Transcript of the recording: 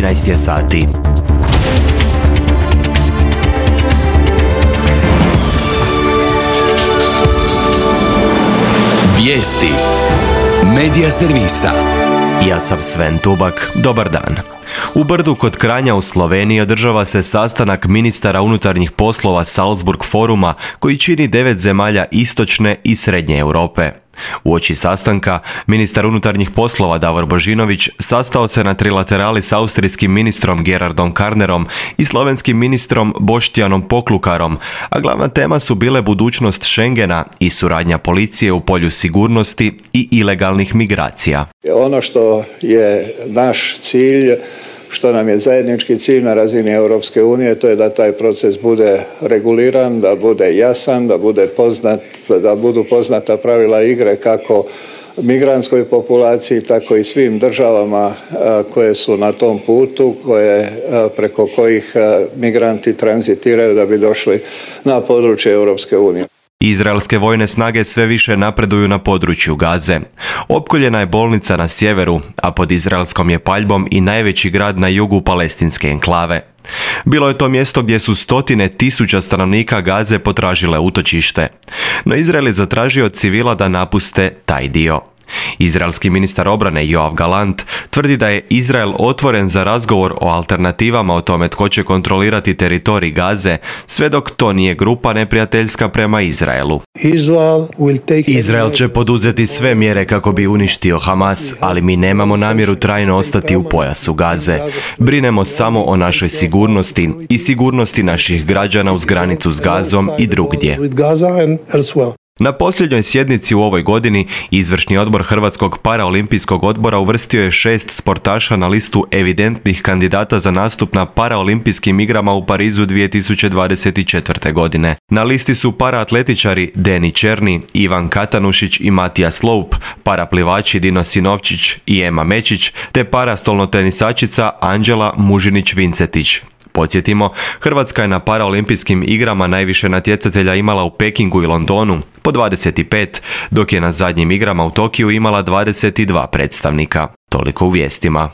13 je sati. Vijesti Medija servisa. Ja sam Sven Tubak, dobar dan. U Brdu kod Kranja u Sloveniji održava se sastanak ministara unutarnjih poslova Salzburg foruma koji čini 9 zemalja istočne i srednje Europe. Uoči sastanka, ministar unutarnjih poslova Davor Božinović sastao se na trilaterali s austrijskim ministrom Gerardom Karnerom i slovenskim ministrom Boštjanom Poklukarom, a glavna tema su bile budućnost Schengena i suradnja policije u polju sigurnosti i ilegalnih migracija. Ono što je naš cilj, što nam je zajednički cilj na razini Europske unije, to je da taj proces bude reguliran, da bude jasan, da bude poznat, da budu poznata pravila igre kako migrantskoj populaciji, tako i svim državama koje su na tom putu, preko kojih migranti tranzitiraju da bi došli na područje Europske unije. Izraelske vojne snage sve više napreduju na području Gaze. Opkoljena je bolnica na sjeveru, a pod izraelskom je paljbom i najveći grad na jugu palestinske enklave. Bilo je to mjesto gdje su stotine tisuća stanovnika Gaze potražile utočište. No Izrael je zatražio od civila da napuste taj dio. Izraelski ministar obrane Joav Galant tvrdi da je Izrael otvoren za razgovor o alternativama o tome tko će kontrolirati teritorij Gaze, sve dok to nije grupa neprijateljska prema Izraelu. Izrael će poduzeti sve mjere kako bi uništio Hamas, ali mi nemamo namjeru trajno ostati u pojasu Gaze. Brinemo samo o našoj sigurnosti i sigurnosti naših građana uz granicu s Gazom i drugdje. Na posljednjoj sjednici u ovoj godini izvršni odbor Hrvatskog paraolimpijskog odbora uvrstio je 6 sportaša na listu evidentnih kandidata za nastup na paraolimpijskim igrama u Parizu 2024. godine. Na listi su paraatletičari Deni Černi, Ivan Katanušić i Matija Sloup, paraplivači Dino Sinovčić i Ema Mečić, te parastolnotenisačica Anđela Mužinić-Vincetić. Podsjetimo, Hrvatska je na paraolimpijskim igrama najviše natjecatelja imala u Pekingu i Londonu, po 25, dok je na zadnjim igrama u Tokiju imala 22 predstavnika. Toliko u vijestima.